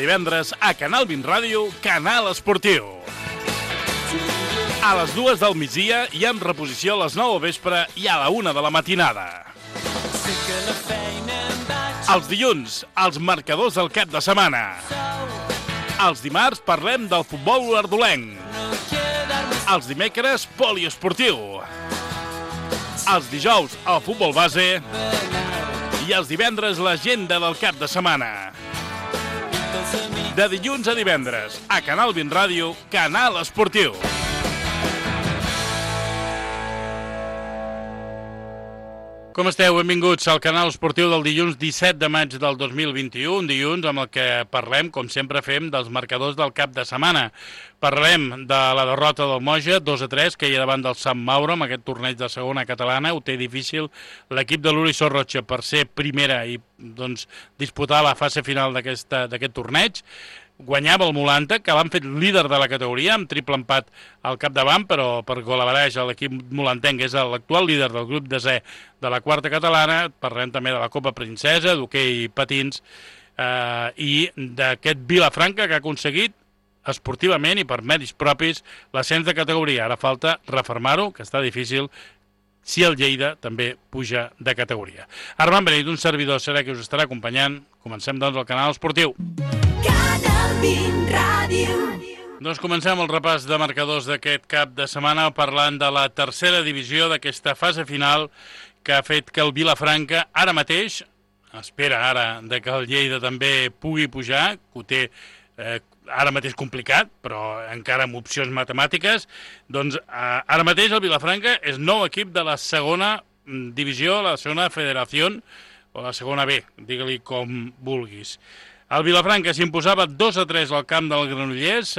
divendres a Canal 20 Ràdio, Canal Esportiu. A les 2 del migdia i en reposició a les 9 del vespre i a la 1 de la matinada. Els dilluns, els marcadors del cap de setmana. Els dimarts parlem del futbol ardolenc. Els dimecres, poliesportiu. Els dijous, el futbol base. I els divendres, l'agenda del cap de setmana. De dilluns a divendres, a Canal 20 Ràdio, Canal Esportiu. Com esteu? Benvinguts al Canal Esportiu del dilluns 17 de maig del 2021, un dilluns amb el que parlem, com sempre fem, dels marcadors del cap de setmana. Parlem de la derrota del Moja, 2-3, que hi ha davant del Sant Mauro, amb aquest torneig de segona catalana. Ho té difícil l'equip de l'Uri Sorrocha per ser primera i doncs, disputar la fase final d'aquest torneig. Guanyava el Mulanta, que l'han fet líder de la categoria, amb triple empat al capdavant, però per golavereig l'equip mulantenc és l'actual líder del grup desè de la quarta catalana. Parlem també de la Copa Princesa, d'hoquei patins, i d'aquest Vilafranca que ha aconseguit esportivament i per mèrits propis l'ascens de categoria. Ara falta refermar-ho, que està difícil, si el Lleida també puja de categoria. Armand Benit, un servidor, serà que us estarà acompanyant. Comencem, doncs, el Canal Esportiu. Canal 20 Ràdio. Doncs comencem el repàs de marcadors d'aquest cap de setmana parlant de la tercera divisió d'aquesta fase final que ha fet que el Vilafranca ara mateix, espera ara de que el Lleida també pugui pujar, que ho té ara mateix complicat, però encara amb opcions matemàtiques, doncs ara mateix el Vilafranca és nou equip de la segona divisió, la segona federació, o la segona B, digue-li com vulguis. El Vilafranca s'imposava 2-3 al camp del Granollers,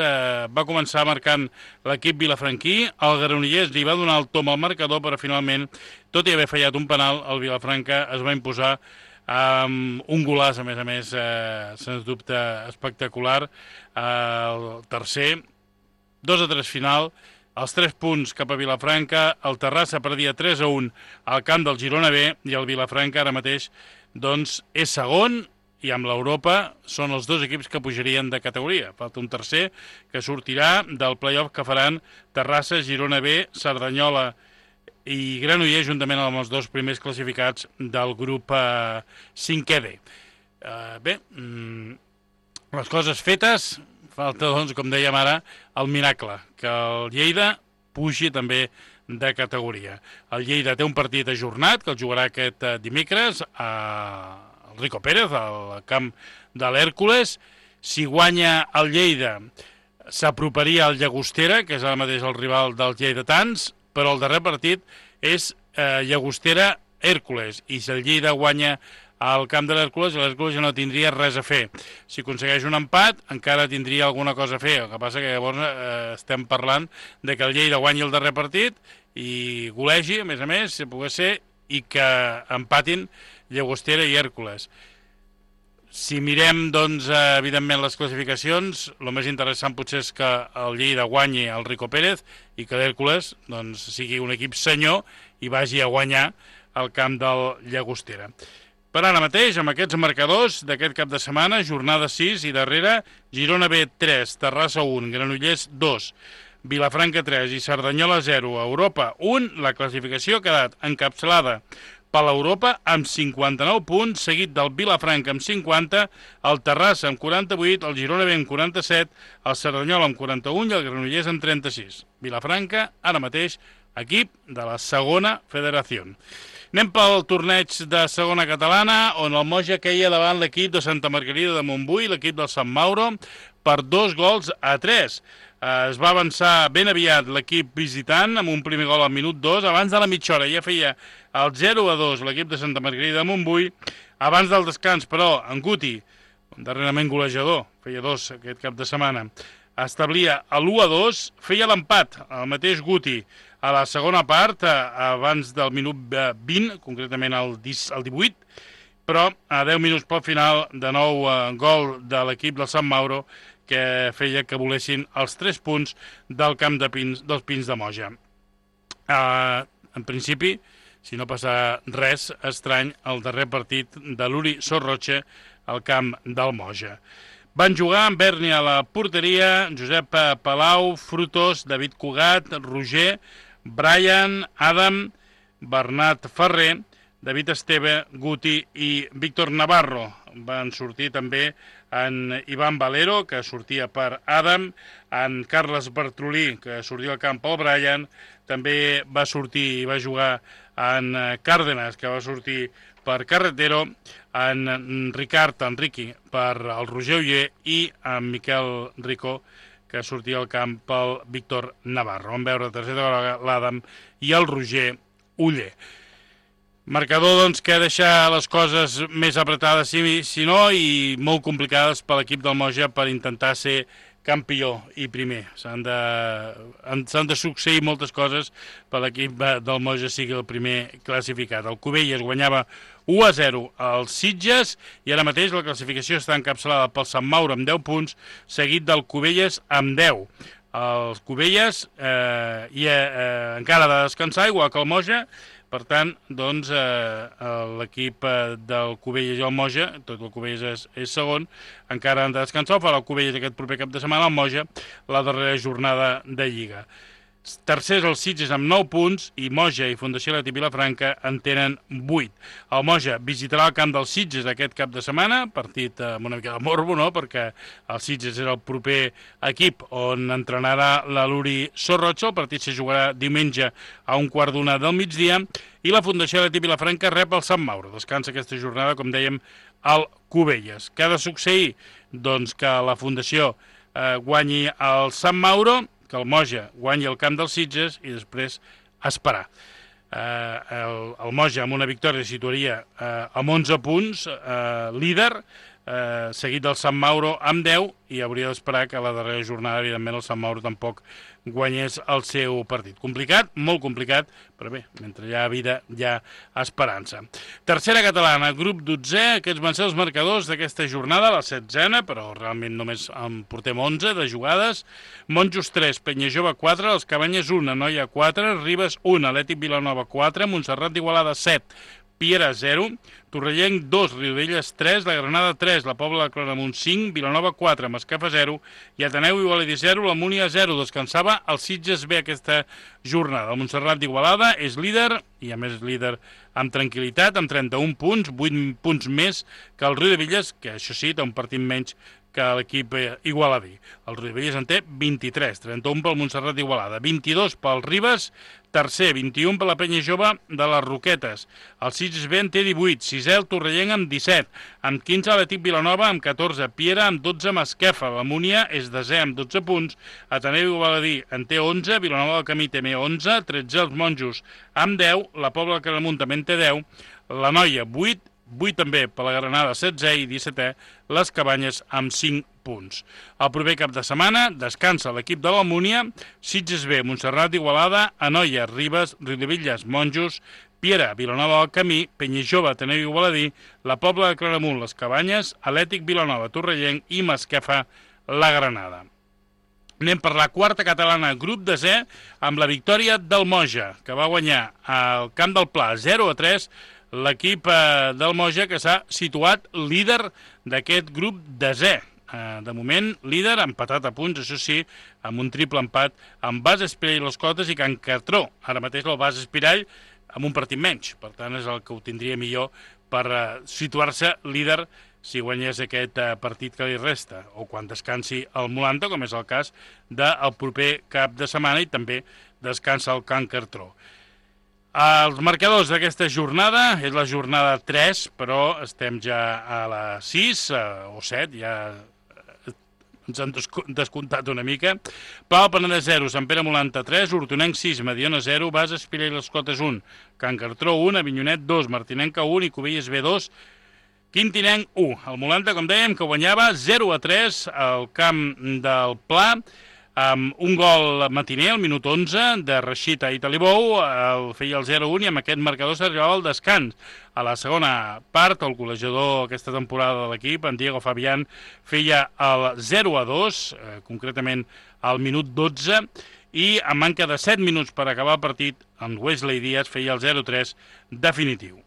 va començar marcant l'equip vilafranquí, el Granollers li va donar el tom al marcador, però finalment, tot i haver fallat un penal, el Vilafranca es va imposar amb un golaç, a més, sens dubte espectacular, el tercer, 2-3 final, els 3 punts cap a Vilafranca, el Terrassa perdia 3-1 al camp del Girona B, i el Vilafranca ara mateix doncs, és segon, i amb l'Europa són els dos equips que pujarien de categoria. Falta un tercer que sortirà del play-off que faran Terrassa, Girona B, Cerdanyola i Granollers, juntament amb els dos primers classificats del grup 5è D. Bé, les coses fetes, falta, doncs, com dèiem ara, el miracle, que el Lleida pugi també de categoria. El Lleida té un partit ajornat, que el jugarà aquest dimecres a Rico Pérez, al camp de l'Hèrcules. Si guanya el Lleida, s'aproparia al Llagostera, que és ara mateix el rival dels lleidatans, però el darrer partit és Llagostera-Hèrcules, i si el Lleida guanya al camp de l'Hèrcules ja no tindria res a fer. Si aconsegueix un empat, encara tindria alguna cosa a fer. El que passa que llavors estem parlant de que el Lleida guanyi el darrer partit i golegi, a més, si pogués ser, i que empatin Llagostera i Hèrcules. Si mirem, doncs, evidentment, les classificacions, el més interessant potser és que el Lleida guanyi el Rico Pérez i que l'Hèrcules doncs, sigui un equip senyor i vagi a guanyar al camp del Llagostera. Per ara mateix, amb aquests marcadors d'aquest cap de setmana, jornada 6 i darrere, Girona B 3, Terrassa 1, Granollers 2, Vilafranca 3 i Cerdanyola 0, Europa 1, la classificació ha quedat encapçalada per l'Europa amb 59 punts, seguit del Vilafranca amb 50, el Terrassa amb 48, el Girona B amb 47, el Cerdanyola amb 41 i el Granollers amb 36. Vilafranca, ara mateix, equip de la segona federació. Anem pel torneig de segona catalana, on el Moja queia davant l'equip de Santa Margarida de Montbui, l'equip del Sant Mauro, per 2-3. Es va avançar ben aviat l'equip visitant amb un primer gol al minut 2. Abans de la mitja hora ja feia el 0-2 l'equip de Santa Margarida de Montbui. Abans del descans, però, en Guti, darrerament golejador, feia 2 aquest cap de setmana, establia l'1-2, feia l'empat, el mateix Guti, a la segona part, abans del minut 20, concretament el 18, però a 10 minuts pel final, de nou gol de l'equip del Sant Mauro, que feia que volessin els 3 punts del camp de Pins, dels Pins de Moja. En principi, si no passa res estrany, el darrer partit de l'Uri Sorrocha al camp del Moja. Van jugar amb Berni a la porteria, Josep Palau, Frutos, David Cugat, Roger, Brian, Adam, Bernat Ferrer, David Esteve, Guti i Víctor Navarro. Van sortir també en Ivan Valero, que sortia per Adam, en Carles Bartrolí, que sortia al camp pel Brian, també va sortir i va jugar en Cárdenas, que va sortir per Carretero, en Ricard Enriqui per el Roger Uller i en Miquel Ricó, que sortia al camp pel Víctor Navarro. Vam veure tercera l'Adam i el Roger Uller. Marcador, doncs, que deixa les coses més apretades, si no, i molt complicades per l'equip del Moja per intentar ser campió i primer. S'han de succeir moltes coses per l'equip del Moja sigui el primer classificat. El Cubelles guanyava 1-0 als Sitges i ara mateix la classificació està encapçalada pel Sant Mauro amb 10 punts, seguit del Cubelles amb 10. Els Cubelles encara ha de descansar, igual que el Moja. Per tant, doncs, l'equip del Cubelles i el Moja, tot el Cubelles és segon, encara han de descansar, farà el Cubelles aquest proper cap de setmana, el Moja la darrera jornada de Lliga. Tercers els Sitges amb 9 punts i Moja i Fundació Atlètic Vilafranca en tenen 8. El Moja visitarà el camp dels Sitges aquest cap de setmana, partit amb una mica de morbo, no?, perquè el Sitges és el proper equip on entrenarà la Luri Sorrocho. El partit se jugarà diumenge a 1:15 del migdia i la Fundació Atlètic Vilafranca rep el Sant Mauro. Descansa aquesta jornada, com dèiem, al Cubelles. Què ha de succeir? Doncs que la Fundació guanyi el Sant Mauro, que el Moja guanyi el camp dels Sitges i després esperar. El Moja amb una victòria situaria amb 11 punts, líder, seguit del Sant Mauro amb 10 i hauria d'esperar que a la darrera jornada, evidentment, el Sant Mauro tampoc guanyés el seu partit. Complicat, molt complicat, però bé, mentre hi ha vida, hi ha esperança. Tercera catalana, grup 12è, aquests van ser els marcadors d'aquesta jornada, la 16a, però realment només en portem 11 de jugades. Monjos 3, Penyajove 4, els Cabanyes 1, Anoia 4, Ribes 1, Atlètic Vilanova 4, Montserrat d'Igualada 7, Piera 0, Torrellenc 2, Riudelles 3, la Granada 3, la Pobla de Claramunt 5, Vilanova 4, Masquefa 0 i Ateneu Igualadi 0, la Múnia 0. Descansava el Sitges B aquesta jornada. El Montserrat d'Igualada és líder i a més líder amb tranquil·litat, amb 31 punts, 8 punts més que el Riudebitlles, que això sí, té un partit menys que l'equip igualadí. El Riudebitlles en té 23, 31 pel Montserrat d'Igualada, 22 pel Ribes, tercer, 21 per la Penya Jove de les Roquetes. El Sitges B en té 18, sisè el Torrellenc amb 17, amb 15 l'Atlètic Vilanova amb 14, Piera amb 12, Masquefa. La Múnia és desè amb 12 punts, Ateneu Igualadí en té 11, Vilanova del Camí també 11, 13 els Monjos amb 10, la Pobla de Claramunt també en té 10, la Noia 8, 8 també per la Granada 16 i 17è les Cabanyes amb 5 punts. El proper cap de setmana descansa l'equip de la Múnia, Sitges B, Montserrat d'Igualada, Anoia, Ribes, Riudebitlles, Monjos, Piera, Vilanova del Camí, Penyajove, Ateneu Igualadí, la Pobla de Claramunt, les Cabanyes, Atlètic Vilanova, Torrellenc i Masquefa, la Granada. Anem per la quarta catalana, grup 10è, amb la victòria del Moja, que va guanyar al Camp del Pla 0-3, l'equip del Moja que s'ha situat líder d'aquest grup 10è. De moment, líder, empatat a punts, això sí, amb un triple empat amb Bas Espirall i les Cotes i Can Cartró. Ara mateix el Bas Espirall amb un partit menys, per tant és el que ho tindria millor per situar-se líder si guanyés aquest partit que li resta, o quan descansi el Molanta, com és el cas del proper cap de setmana, i també descansa el Can Cartró. Els marcadors d'aquesta jornada és la jornada 3, però estem ja a la 6 o 7, ja ens han descomptat una mica. Pau Penedès 0, Sant Pere Molanta 3, Hortonenc 6, Mediona 0, Bas Espirall i les Cotes 1, Can Cartró 1, Avinyonet 2, Martinenca 1 i Cubelles B 2, Quintinenc 1. El Molanta, com dèiem, que guanyava 0-3 al camp del Pla, amb un gol matiner, al minut 11, de Reixita i Talibou, el feia el 0-1 i amb aquest marcador s'arribava al descans. A la segona part, el golejador aquesta temporada de l'equip, en Diego Fabián, feia el 0-2, concretament al minut 12, i a manca de 7 minuts per acabar el partit, en Wesley Díaz feia el 0-3 definitiu.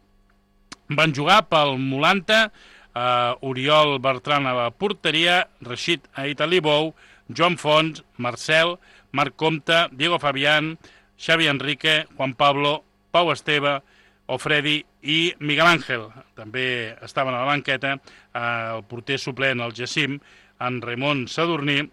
Van jugar pel Molanta Oriol Bertran a la porteria, Rashid Aitalibou, Joan Fons, Marcel, Marc Comte, Diego Fabián, Xavi Enrique, Juan Pablo, Pau Esteve, Ofredi i Miguel Ángel. També estaven a la banqueta el porter suplent, el Jacim, en Ramon Sadurní,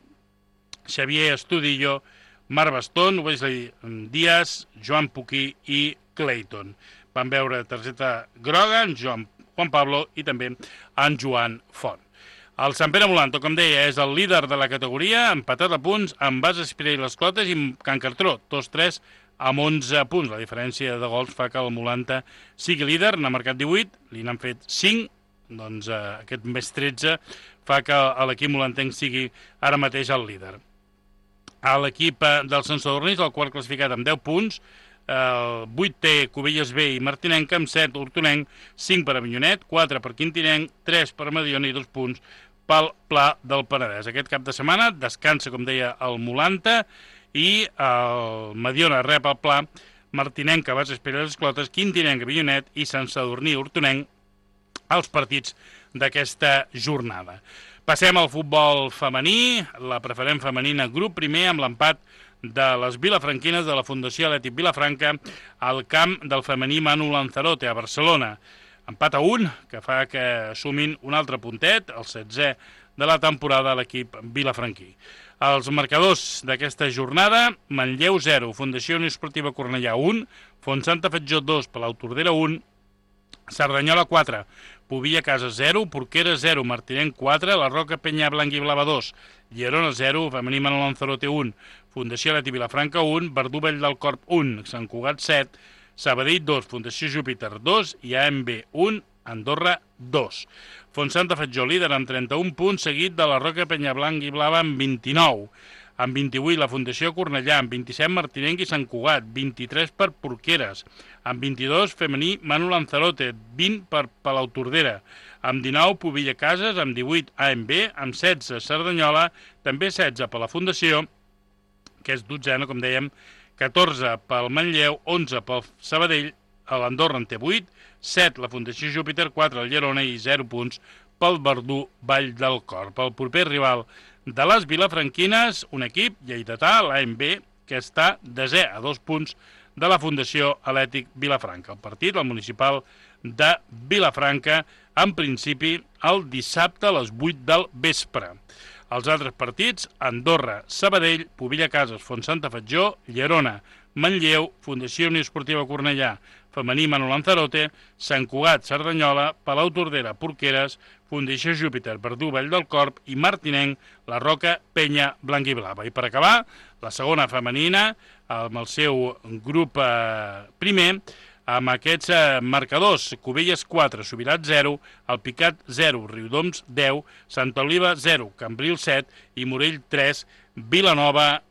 Xavier Estudillo, Marc Bastón, Wesley Díaz, Joan Puquí i Clayton. Van veure targeta groga en Juan Pablo i també en Joan Font. El Sant Pere Molanto, com deia, és el líder de la categoria, empatat a punts amb Bas Espirell les Clotes i Can Cartró, 2-3 amb 11 punts. La diferència de gols fa que el Molanta sigui líder, n'ha marcat 18, li n'han fet 5, doncs aquest més 13 fa que l'equip molantenc sigui ara mateix el líder. A l'equip del Sant Sadurní, el quart classificat amb 10 punts, el 8 té Cubelles B i Martinenca, amb 7 Hortonenc, 5 per Avinyonet, 4 per Quintinenc, 3 per Mediona i 2 punts pel Pla del Penedès. Aquest cap de setmana descansa, com deia, el Molanta i el Mediona rep el Pla, Martinenca, Bas Espirell les Clotes, Quintinenc, Avinyonet i Sant Sadurní, Hortonenc, els partits d'aquesta jornada. Passem al futbol femení, la preferent femenina grup primer amb l'empat de les vilafranquines de la Fundació Atlètic Vilafranca al camp del femení Manu Lanzarote a Barcelona. Empat a 1, que fa que sumin un altre puntet, el 16è de la temporada a l'equip vilafranquí. Els marcadors d'aquesta jornada: Manlleu 0, Fundació Unió Esportiva Cornellà 1, Fontsanta Fatjó 2, Palau Tordera 1, Cerdanyola 4, Pobilla Casa 0, Porquera 0, Martinenc 4, La Roca Penyà Blanc i Blava 2, Llerona 0, Femení Manu Lanzarote 1, Fundació Atlètic Vilafranca 1, Verdú Vell del Corp 1, Sant Cugat 7, Sabadell 2, Fundació Júpiter 2 i AMB 1, Andorra 2. Fontsanta Fatjó líder amb 31 punts, seguit de La Roca Penyà Blanc i Blava amb 29. Amb 28 la Fundació Cornellà, amb 27 Martinenc i Sant Cugat, 23 per Porqueres, amb 22 Femení Manu Lanzarote, 20 per Palau Tordera, amb 19 Pobilla Cases, amb 18 AMB, amb 16 Cerdanyola, també 16 per la Fundació, que és 12ena, com dèiem, 14 pel Manlleu, 11 pel Sabadell, l'Andorra en té 8, 7 la Fundació Júpiter, 4 el Llerona i 0 punts pel Verdú Vall del Corp. El proper rival de les vilafranquines, un equip lleidatà, l'AMB, que està desè a 2 punts de la Fundació Atlètic Vilafranca. El partit, el municipal de Vilafranca, en principi el dissabte a les 8 del vespre. Els altres partits: Andorra, Sabadell, Pobilla Cases, Fontsanta Fatjó, Llerona, Manlleu, Fundació Unió Esportiva Cornellà, Femení Manu Lanzarote, Sant Cugat, Cerdanyola, Palau Tordera, Porqueres, Fundació Júpiter, Verdú Vall del Corp i Martinenc, La Roca, Penya, Blanc i Blava. I per acabar, la segona femenina, amb el seu grup primer, amb aquests marcadors: Cubelles 4, Subirats 0, Alpicat 0, Riudoms 10, Santa Oliva 0, Cambril 7 i Morell 3, Vilanova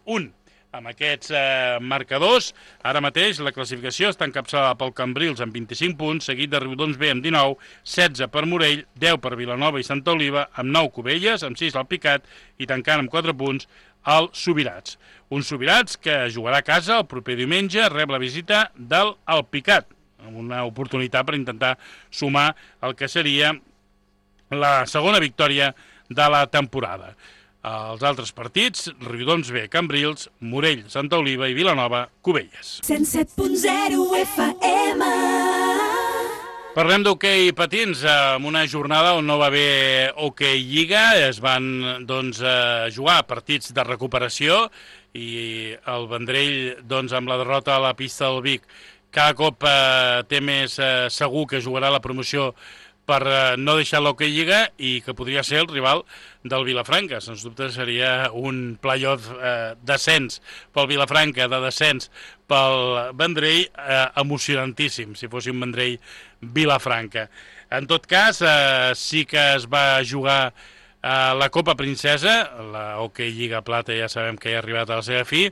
1. Amb aquests marcadors, ara mateix la classificació està encapçalada pel Cambrils amb 25 punts, seguit de Riudoms B amb 19, 16 per Morell, 10 per Vilanova i Santa Oliva, amb 9 Cubelles, amb 6 l'Alpicat i tancant amb 4 punts el Subirats. Un Subirats que jugarà a casa el proper diumenge, rep la visita del Alpicat, amb una oportunitat per intentar sumar el que seria la segona victòria de la temporada. Els altres partits: Riudoms B, Cambrils, Morell, Santa Oliva i Vilanova, Cubelles. 107.0 FM. Parlem d'hoquei patins, en una jornada on no va haver hoquei lliga. Es van jugar partits de recuperació i el Vendrell, amb la derrota a la pista del Vic, cada cop té més segur que jugarà la promoció per no deixar l'hoquei lliga i que podria ser el rival del Vilafranca. Sens dubte seria un play-off descens pel Vilafranca, de descens pel Vendrell, emocionantíssim, si fos un Vendrell-Vilafranca. En tot cas, sí que es va jugar la Copa Princesa, la Hockey Lliga Plata ja sabem que ja ha arribat a la seva fi,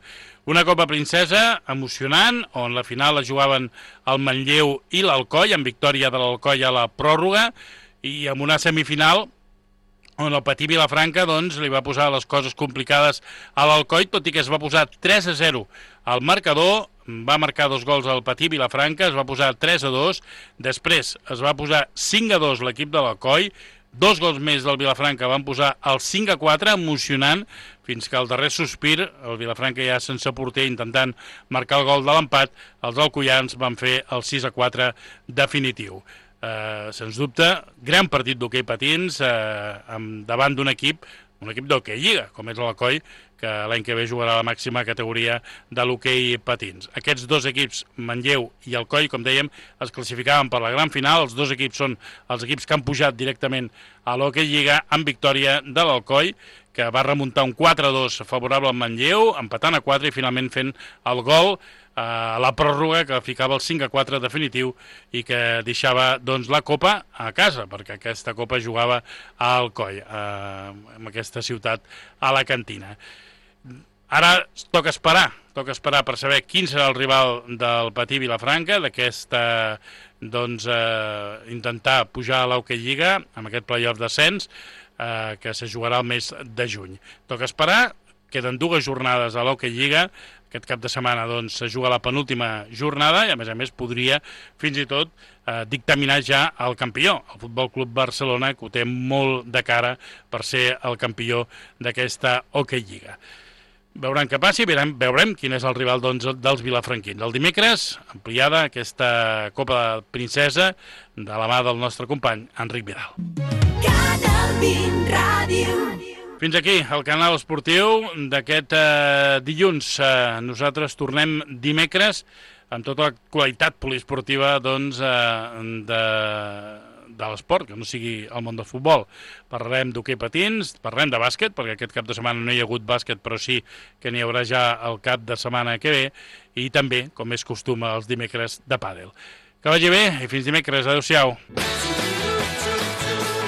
una Copa Princesa emocionant, on la final la jugaven el Manlleu i l'Alcoi, amb victòria de l'Alcoi a la pròrroga, i amb una semifinal on el Patí Vilafranca li va posar les coses complicades a l'Alcoi, tot i que es va posar 3-0 al marcador. va marcar 2 gols al Patí Vilafranca, es va posar 3-2, després es va posar 5-2 l'equip de l'Alcoi, 2 gols més del Vilafranca van posar el 5-4, emocionant, fins que al darrer sospir, el Vilafranca ja sense porter intentant marcar el gol de l'empat, els alcoians van fer el 6-4 definitiu. Sens dubte, gran partit d'hoquei patins davant d'un equip d'hoquei lliga, com és l'Alcoi, que l'any que ve jugarà a la màxima categoria de l'hoquei patins. Aquests dos equips, Manlleu i Alcoi, com dèiem, es classificaven per la gran final. Els dos equips són els equips que han pujat directament a l'hoquei lliga amb victòria de l'Alcoi, que va remuntar un 4-2 favorable al Manlleu, empatant a 4 i finalment fent el gol a la pròrroga que ficava el 5-4 definitiu i que deixava doncs, la Copa a casa, perquè aquesta Copa jugava a Alcoi, en aquesta ciutat alacantina. Ara toca esperar per saber quin serà el rival del Patí Vilafranca, d'aquesta, doncs, intentar pujar a l'Hoquei Lliga, amb aquest play-off d'ascens, que se jugarà el mes de juny. Toca esperar, queden 2 jornades a l'Hoquei Lliga, aquest cap de setmana doncs, se juga la penúltima jornada i a més podria fins i tot dictaminar ja el campió, el Futbol Club Barcelona, que ho té molt de cara per ser el campió d'aquesta Hoquei Lliga. Veurem què passi, veurem quin és el rival doncs, dels vilafranquins. El dimecres, ampliada aquesta Copa Princesa de la mà del nostre company Enric Vidal. Canal 20 Ràdio. Fins aquí el canal esportiu d'aquest dilluns. Nosaltres tornem dimecres amb tota la qualitat poliesportiva doncs, de l'esport, que no sigui el món del futbol. Parlarem d'hoquei patins, parlarem de bàsquet, perquè aquest cap de setmana no hi ha hagut bàsquet, però sí que n'hi haurà ja el cap de setmana que ve, i també, com és costum, els dimecres de pàdel. Que vagi bé i fins dimecres. Adéu-siau.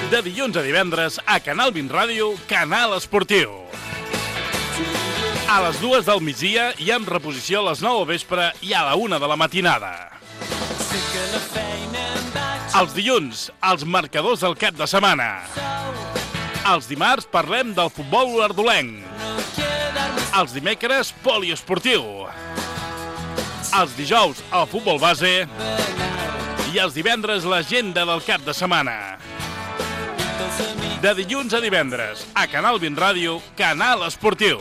De dilluns a divendres, a Canal 20 Ràdio, Canal Esportiu. A les 2 del migdia i amb reposició a les 9 del vespre i a la 1 de la matinada. Els dilluns, els marcadors del cap de setmana. Els dimarts parlem del futbol ardolenc. Els dimecres, poliesportiu. Els dijous, el futbol base. I els divendres, l'agenda del cap de setmana. De dilluns a divendres, a Canal 20 Ràdio, Canal Esportiu.